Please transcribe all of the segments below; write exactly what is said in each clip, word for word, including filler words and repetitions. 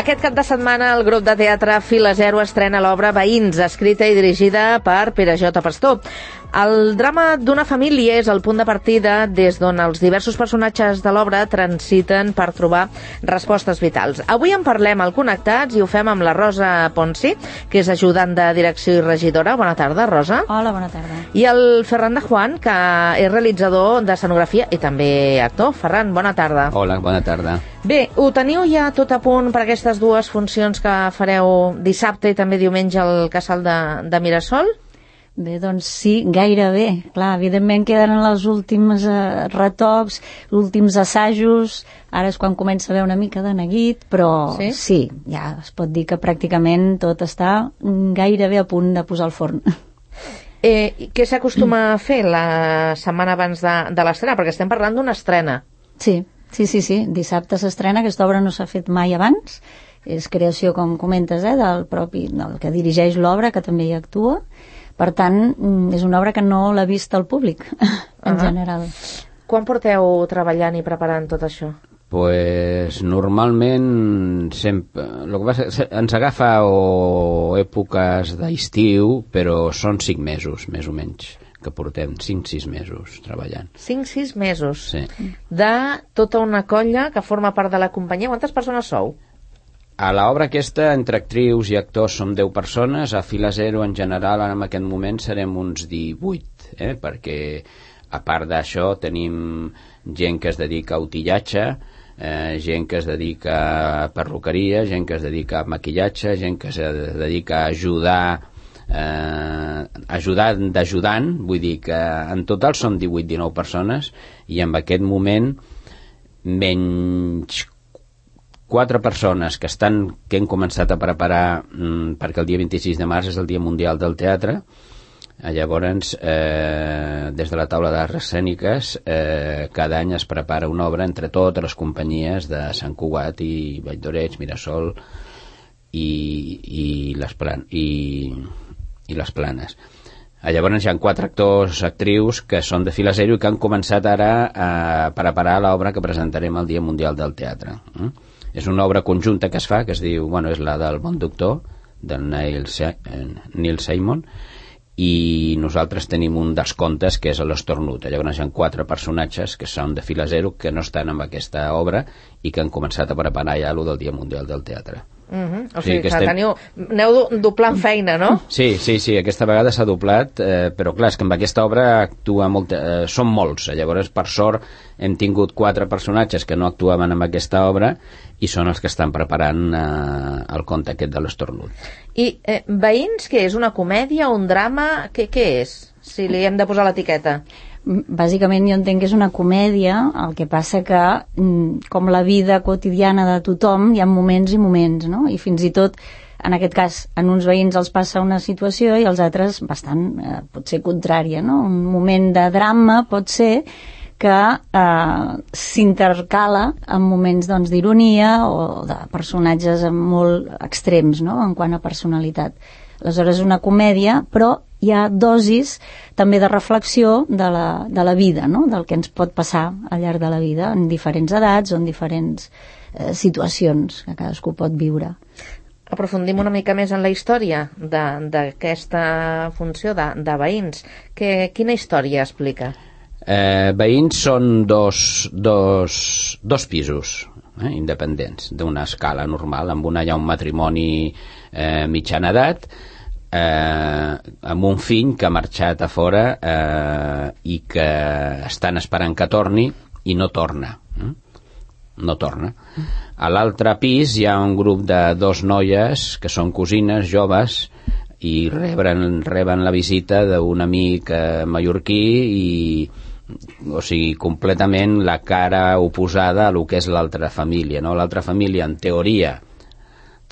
Aquest cap de setmana el grup de teatre Fila Zero estrena l'obra Veïns, escrita i dirigida per Pere J. Pastor. El drama d'una família és el punt de partida des d'on els diversos personatges de l'obra transiten per trobar respostes vitals. Avui en parlem al Connectats i ho fem amb la Rosa Ponsi, que és ajudant de direcció i regidora. Bona tarda, Rosa. Hola, bona tarda. I el Ferran de Juan, que és realitzador d'escenografia i també actor. Ferran, bona tarda. Hola, bona tarda. Bé, ho teniu ja tot a punt per aquestes dues funcions que fareu dissabte i també diumenge al Casal de, de Mirasol? Bé, doncs sí, gairebé. Clar, evidentment queden els últims eh, retocs, els últims assajos, ara és quan comença a haver una mica de neguit, però sí? sí, ja es pot dir que pràcticament tot està gairebé a punt de posar al forn. Eh, què s'acostuma a fer la setmana abans de, de l'estrena? Perquè estem parlant d'una estrena. Sí, sí, sí, sí. Dissabte s'estrena, aquesta obra no s'ha fet mai abans, és creació, com comentes, eh, del propi, del que dirigeix l'obra, que també hi actua. Per tant, és una obra que no l'ha vist el públic, en uh-huh. general. Quan porteu treballant i preparant tot això? Pues normalment sempre, el que passa, ens agafa o èpoques d'estiu, però són cinc mesos, més o menys, que portem cinc sis mesos treballant. cinc sis mesos? Sí. De tota una colla que forma part de la companyia. Quantes persones sou? A l'obra aquesta, entre actrius i actors, som deu persones. A Fila Zero, en general, en aquest moment serem uns divuit, eh? Perquè, a part d'això, tenim gent que es dedica a utillatge, eh, gent que es dedica a perruqueria, gent que es dedica a maquillatge, gent que es dedica a ajudar, eh, ajudar d'ajudant, vull dir que en total són divuit dinou persones, i en aquest moment menys quatre persones que estan que hem començat a preparar mm, perquè el dia vint-i-sis de març és el Dia Mundial del Teatre. Eh, llavors, eh, des de la taula d'arts escèniques, eh, cada any es prepara una obra entre totes les companyies de Sant Cugat i Valldoreix, Mirasol i, i, les, plan, i, i les Planes. Eh, llavors hi ha quatre actors, actrius que són de Fila Zero i que han començat ara a preparar l'obra que presentarem el Dia Mundial del Teatre. Eh? És una obra conjunta que es fa, que es diu, bueno, és la del Bon Doctor, del Neil, Se Neil Simon, i nosaltres tenim un dels contes que és l'Estornut. Llavors hi ha quatre personatges que són de Fila Zero que no estan en aquesta obra i que han començat a preparar ja allò del Dia Mundial del Teatre. Uh-huh. O sigui, sí, que, que estem... teniu, aneu doblant feina, no? Sí, sí, sí, aquesta vegada s'ha doblat, eh, però clar, és que amb aquesta obra actua molt, eh, són molts, llavors per sort hem tingut quatre personatges que no actuaven en aquesta obra i són els que estan preparant eh, el conte aquest de l'Estornut. I eh, Veïns, què és? Una comèdia, un drama? Què, què és? Si li hem de posar l'etiqueta. Bàsicament jo entenc que és una comèdia, el que passa que com la vida quotidiana de tothom hi ha moments i moments, no? I fins i tot en aquest cas en uns veïns els passa una situació i als altres bastant eh, pot ser contrària, no? Un moment de drama pot ser que eh, s'intercala en moments doncs, d'ironia o de personatges molt extrems, no? En quant a personalitat. Aleshores és una comèdia, però hi ha dosis també de reflexió de la, de la vida, no? Del que ens pot passar al llarg de la vida en diferents edats o en diferents eh, situacions que cadascú pot viure. Aprofundim una mica més en la història d'aquesta funció de, de Veïns. Que, quina història explica? Eh, Veïns són dos, dos, dos pisos eh, independents d'una escala normal, amb una hi ha un matrimoni eh, mitjana edat, eh, amb un fill que ha marxat a fora eh, i que estan esperant que torni i no torna eh? no torna a l'altre pis hi ha un grup de dos noies que són cosines joves i reben, reben la visita d'un amic eh, mallorquí i o sigui, completament la cara oposada a lo que és l'altra família, no? L'altra família, en teoria,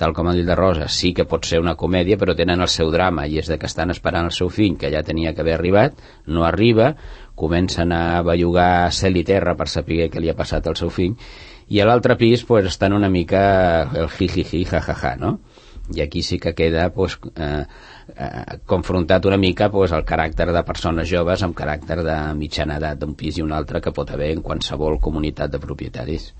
tal com ha dit la Rosa, sí que pot ser una comèdia, però tenen el seu drama, i és de que estan esperant el seu fill, que ja tenia que haver arribat, no arriba, comencen a bellugar cel i terra per saber què li ha passat al seu fill, i a l'altre pis pues, estan una mica el jijiji, jajaja, no? I aquí sí que queda pues, eh, eh, confrontat una mica pues, el caràcter de persones joves amb caràcter de mitjana edat d'un pis i un altre que pot haver en qualsevol comunitat de propietaris.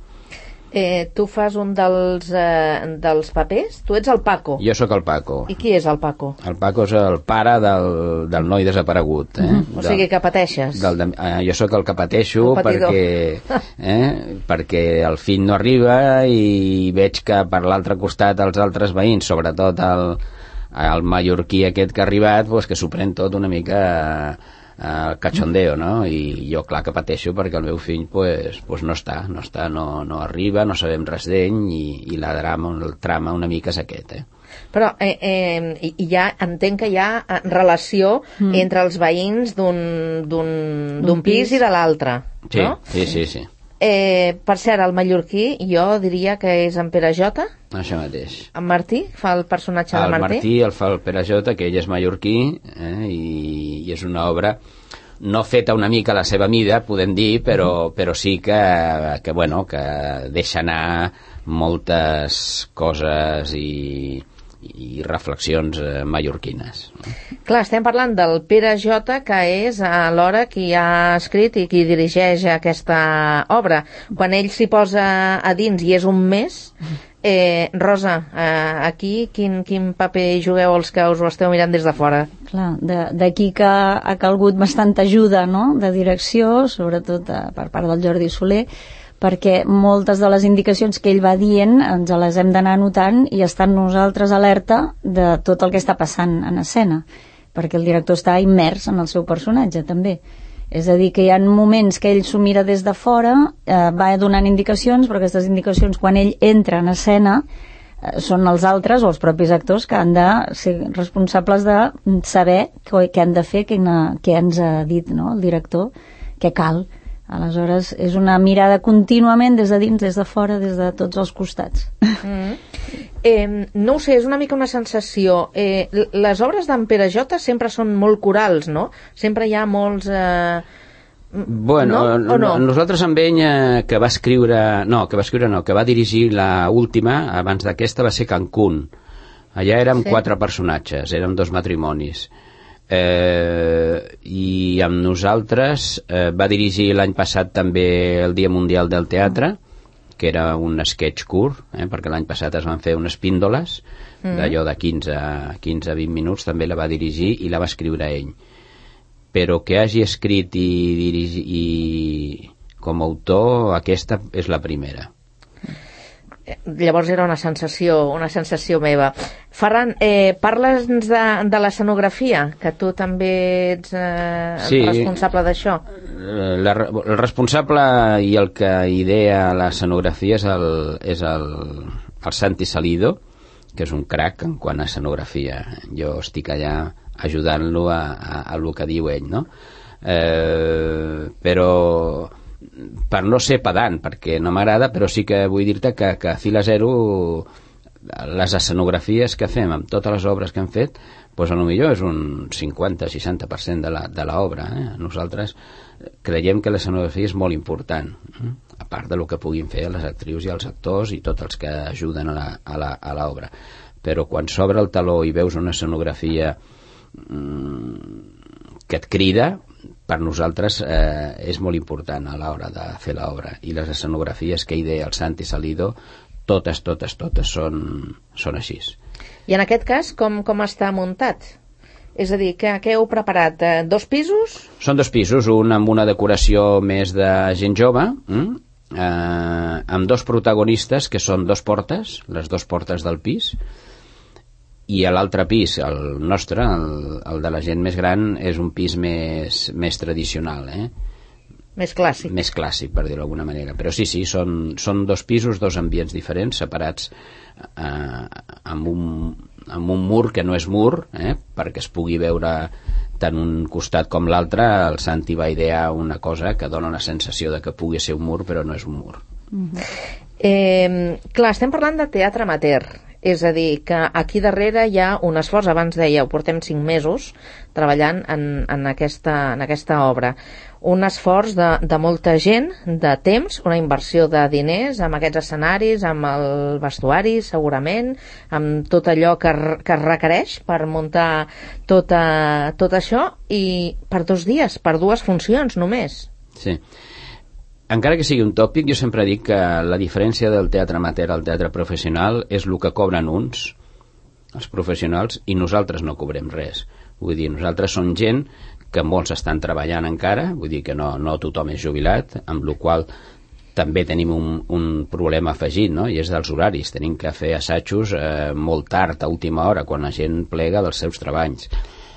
Eh, tu fas un dels, eh, dels papers? Tu ets el Paco. Jo sóc el Paco. I qui és el Paco? El Paco és el pare del, del noi desaparegut. Eh? Mm-hmm. O sigui que pateixes. Del, del, eh, jo sóc el que pateixo el perquè, eh, perquè el fill no arriba i veig que per l'altre costat els altres veïns, sobretot el, el mallorquí aquest que ha arribat, pues, que s'ho pren tot una mica... Uh, cachondeo, no? I jo clar que pateixo perquè el meu fill pues, pues no està, no està, no, no arriba, no sabem res d'ell i, i la drama, el trama una mica és aquest, eh? Però eh, eh, ja entenc que hi ha relació mm. entre els veïns d'un d'un pis i de l'altre, sí, no? Sí, sí, sí. Eh, per cert, el mallorquí jo diria que és en Pere Jota. Això mateix. En Martí fa el personatge el de Martí. El Martí el fa el Pere Jota, que ell és mallorquí, eh, i, i és una obra no feta una mica a la seva mida, podem dir, però, però sí que, que, bueno, que deixa anar moltes coses i, i reflexions eh, mallorquines. Clar, estem parlant del Pere Jota, que és alhora qui ha escrit i qui dirigeix aquesta obra. Quan ell s'hi posa a dins i és un mes, eh, Rosa, eh, aquí quin, quin paper jugueu els que us ho esteu mirant des de fora? Clar, d'aquí que ha calgut bastanta ajuda, no?, de direcció, sobretot eh, per part del Jordi Soler, perquè moltes de les indicacions que ell va dient ens les hem d'anar anotant i estar nosaltres alerta de tot el que està passant en escena, perquè el director està immers en el seu personatge també. És a dir, que hi ha moments que ell s'ho mira des de fora, eh, va donant indicacions, però aquestes indicacions quan ell entra en escena eh, són els altres o els propis actors que han de ser responsables de saber què, què han de fer, què, què ens ha dit, no?, el director, què cal. Aleshores, és una mirada contínuament des de dins, des de fora, des de tots els costats. Mm. Eh, no ho sé, és una mica una sensació. Eh, les obres d'en Pere Jota sempre són molt corals, no? Sempre hi ha molts... Eh... Bueno, no? O no? Nosaltres amb ell, eh, que va escriure... No, que va escriure no, que va dirigir la última, abans d'aquesta, va ser Cancún. Allà érem sí. quatre personatges, érem dos matrimonis. Eh, i amb nosaltres eh, va dirigir l'any passat també el Dia Mundial del Teatre, que era un sketch curt, eh, perquè l'any passat es van fer unes píndoles mm. d'allò de quinze a vint minuts, també la va dirigir i la va escriure ell, però que hagi escrit i dirigir i com a autor, aquesta és la primera. Llavors era una sensació, una sensació meva. Ferran, eh, parla'ns de, de l'escenografia, que tu també ets eh, sí, responsable d'això. La, el responsable i el que idea l'escenografia és el, és el, el Santi Salido, que és un crac en quant a escenografia. Jo estic allà ajudant-lo a, a, a el que diu ell, no? Eh, però... per no ser pedant, perquè no m'agrada, però sí que vull dir-te que, que a Fila Zero les escenografies que fem amb totes les obres que hem fet, doncs potser és un cinquanta a seixanta per cent de l'obra. Eh? Nosaltres creiem que l'escenografia és molt important, eh? A part de lo que puguin fer les actrius i els actors i tots els que ajuden a l'obra. Però quan s'obre el taló i veus una escenografia mm, que et crida, per nosaltres eh, és molt important a l'hora de fer l'obra, i les escenografies que idea el Santi Salido totes, totes, totes són, són així. I en aquest cas com, com està muntat? És a dir, què, què heu preparat? Eh, dos pisos? Són dos pisos, un amb una decoració més de gent jove, hm? eh, amb dos protagonistes que són dos portes, les dues portes del pis, i a l'altre pis, el nostre, el, el de la gent més gran, és un pis més, més tradicional, eh? Més clàssic. Més clàssic, per dir-ho d'alguna manera. Però sí, sí, són, són dos pisos, dos ambients diferents, separats eh, amb, un, amb un mur que no és mur, eh? Perquè es pugui veure tant un costat com l'altre. El Santi va idear una cosa que dona la sensació de que pugui ser un mur, però no és un mur. Mm-hmm. eh, clar, estem parlant de teatre amateur. És a dir, que aquí darrere hi ha un esforç, abans dèieu, portem cinc mesos treballant en, en, aquesta, en aquesta obra. Un esforç de, de molta gent, de temps, una inversió de diners amb aquests escenaris, amb el vestuari, segurament, amb tot allò que, que es requereix per muntar tota, tot això, i per dos dies, per dues funcions només. Sí. encara que sigui un tòpic, jo sempre dic que la diferència del teatre amateur al teatre professional és el que cobren uns, els professionals, i nosaltres no cobrem res. Vull dir, nosaltres som gent que molts estan treballant encara, vull dir que no, no tothom és jubilat, amb la qual també tenim un, un problema afegit, no? I és dels horaris. Tenim que fer assajos eh, molt tard, a última hora, quan la gent plega dels seus treballs.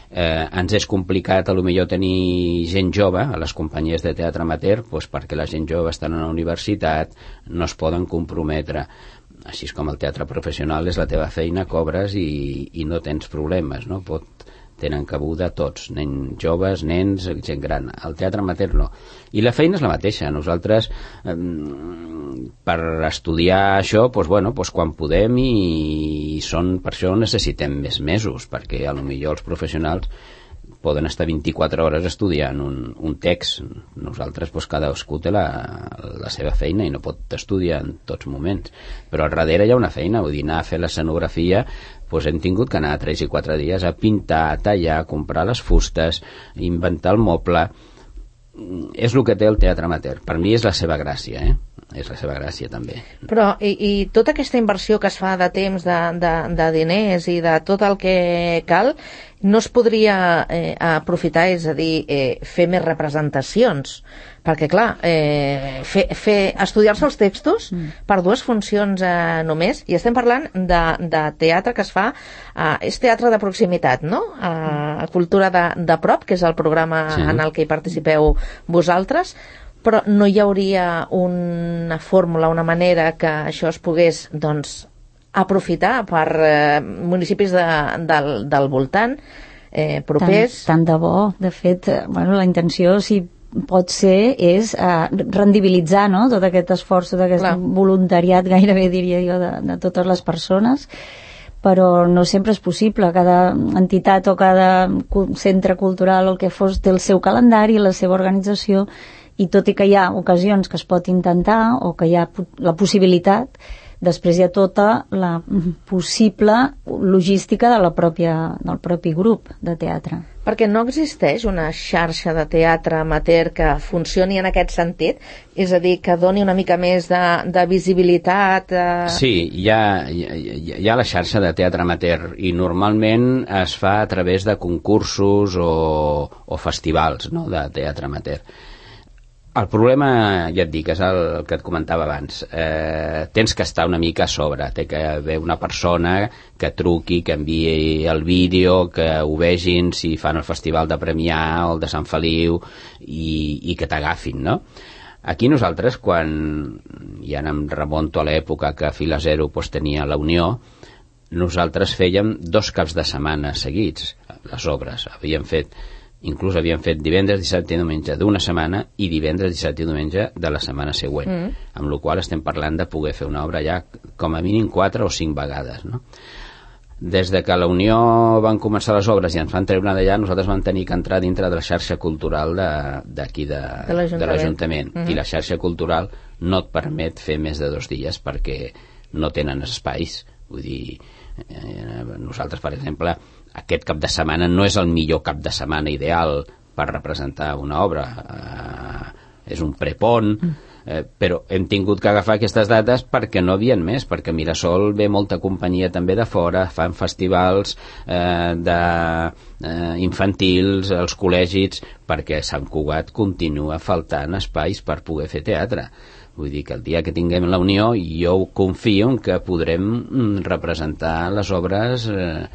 Eh, ens és complicat a lo millor tenir gent jove a les companyies de teatre amateur, doncs perquè la gent jove està a la universitat, no es poden comprometre. Així com el teatre professional és la teva feina, cobres i, i no tens problemes, no? Pot, tenen cabuda tots, nens joves, nens, gent gran. El teatre amateur no. I la feina és la mateixa. Nosaltres, eh, per estudiar això, doncs, bueno, doncs quan podem, i, i són, per això necessitem més mesos, perquè a lo millor els professionals poden estar vint-i-quatre hores estudiant un, un text. Nosaltres, doncs, cadascú té la, la seva feina i no pot estudiar en tots moments. Però al darrere hi ha una feina, vull dir, anar a fer l'escenografia, doncs hem tingut que anar tres i quatre dies a pintar, a tallar, a comprar les fustes, inventar el moble. És el que té el teatre amateur. Per mi és la seva gràcia, eh? És la seva gràcia també. Però i, i tota aquesta inversió que es fa de temps, de, de, de diners i de tot el que cal, no es podria eh, aprofitar, és a dir, eh, fer més representacions? Perquè clar, eh, fer, fer, estudiar-se els textos mm. per dues funcions eh, només, i estem parlant de, de teatre que es fa, eh, és teatre de proximitat, no? Eh, cultura de, de prop, que és el programa sí. en el que hi participeu vosaltres, però no hi hauria una fórmula, una manera que això es pogués, doncs, aprofitar per eh, municipis de, del, del voltant, eh, propers. Tant, tant de bo. De fet, bueno, la intenció, si pot ser, és eh, rendibilitzar, no?, tot aquest esforç, tot aquest Clar. voluntariat, gairebé diria jo, de, de totes les persones, però no sempre és possible. Cada entitat o cada centre cultural o el que fos té el seu calendari, la seva organització, i tot i que hi ha ocasions que es pot intentar o que hi ha la possibilitat, després hi ha tota la possible logística de la pròpia, del propi grup de teatre. Perquè no existeix una xarxa de teatre amateur que funcioni en aquest sentit? És a dir, que doni una mica més de, de visibilitat? Eh... Sí, hi ha, hi, ha, hi ha la xarxa de teatre amateur i normalment es fa a través de concursos o, o festivals, no?, de teatre amateur. El problema, ja et dic, és el que et comentava abans. Eh, tens que estar una mica a sobre. Té que haver una persona que truqui, que enviï el vídeo, que ho vegin si fan el festival de Premià o el de Sant Feliu, i, i que t'agafin, no? Aquí nosaltres, quan ja em remonto a l'època que Fila Zero pues, tenia la Unió, nosaltres fèiem dos caps de setmana seguits, les obres. Havíem fet... Inclús havien fet divendres, dissabte i diumenge d'una setmana i divendres, dissabte i diumenge de la setmana següent, mm. amb la qual estem parlant de poder fer una obra ja com a mínim quatre o cinc vegades, no? Des de que la Unió van començar les obres i ens van treure d'allà, nosaltres vam tenir que entrar dintre de la xarxa cultural d'aquí de, de, de l'Ajuntament. Mm-hmm. I la xarxa cultural no et permet fer més de dos dies perquè no tenen espais. Vull dir, eh, nosaltres, per exemple, aquest cap de setmana no és el millor cap de setmana ideal per representar una obra. Eh, és un prepont, eh, però hem tingut que agafar aquestes dates perquè no havien més, perquè a Mirasol ve molta companyia també de fora, fan festivals eh, de, eh, infantils, els col·legis, perquè a Sant Cugat continua faltant espais per poder fer teatre. Vull dir que el dia que tinguem la Unió jo confio en que podrem representar les obres eh,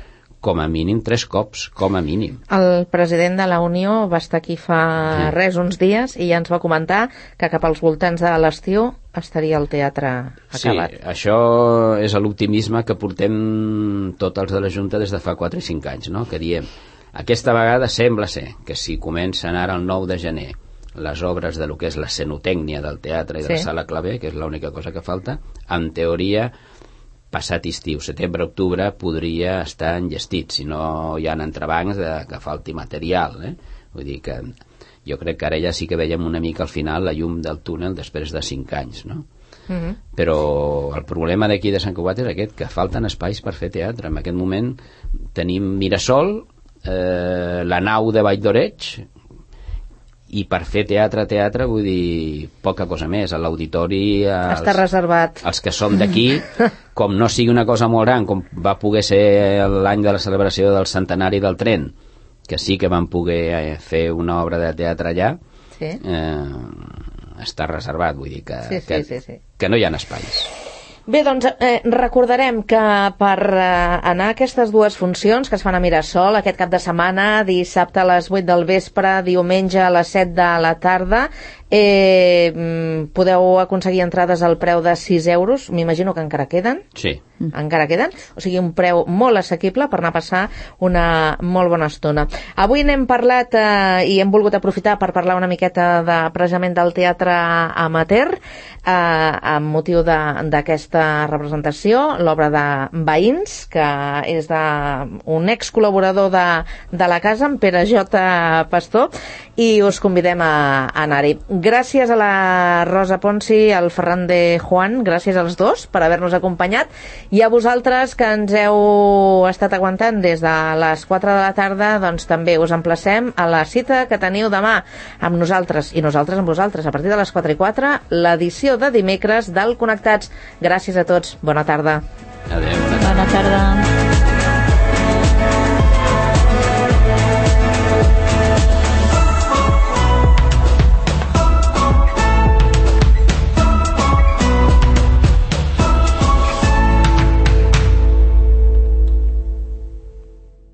com a mínim tres cops, com a mínim. El president de la Unió va estar aquí fa sí. res, uns dies, i ja ens va comentar que cap als voltants de l'estiu estaria el teatre acabat. Sí, això és l'optimisme que portem tots els de la Junta des de fa quatre i cinc anys, no? Que diem, aquesta vegada sembla ser que si comencen ara el nou de gener les obres de lo que és l'escenotècnia del teatre i de sí. la sala claver, que és l'única cosa que falta, en teoria passat estiu, setembre-octubre podria estar enllestit, si no hi ha entrebancs de que falti material, eh? Vull dir que jo crec que ara ja sí que veiem una mica al final la llum del túnel després de cinc anys, no? Uh-huh. Però el problema d'aquí de Sant Cugat és aquest, que falten espais per fer teatre. En aquest moment tenim Mirasol, eh, la nau de Vall d'Oreig i per fer teatre, teatre, vull dir, poca cosa més. A l'auditori... Està reservat. Els que som d'aquí, com no sigui una cosa molt gran, com va poder ser l'any de la celebració del centenari del tren, que sí que vam poder fer una obra de teatre allà, sí. eh, està reservat, vull dir que, sí, sí, que, sí, sí. que no hi ha espais. Bé, doncs eh, recordarem que per eh, anar a aquestes dues funcions que es fan a Mirasol aquest cap de setmana, dissabte a les vuit del vespre, diumenge a les set de la tarda, eh, podeu aconseguir entrades al preu de sis euros, m'imagino que encara queden. Sí. Encara queden, o sigui, un preu molt assequible per anar a passar una molt bona estona. Avui n'hem parlat eh, i hem volgut aprofitar per parlar una miqueta de, precisament del teatre amateur, eh, amb motiu d'aquesta representació, l'obra de Veïns, que és d'un ex-col·laborador de, de la casa, en Pere J. Pastor, i us convidem a, a anar-hi. Gràcies a la Rosa Ponsi, al Ferran de Juan, gràcies als dos per haver-nos acompanyat, i a vosaltres que ens heu estat aguantant des de les quatre de la tarda, doncs també us emplacem a la cita que teniu demà amb nosaltres i nosaltres amb vosaltres a partir de les quatre i quatre, l'edició de dimecres del Connectats. Gràcies a tots, bona tarda. Adéu. Bona tarda.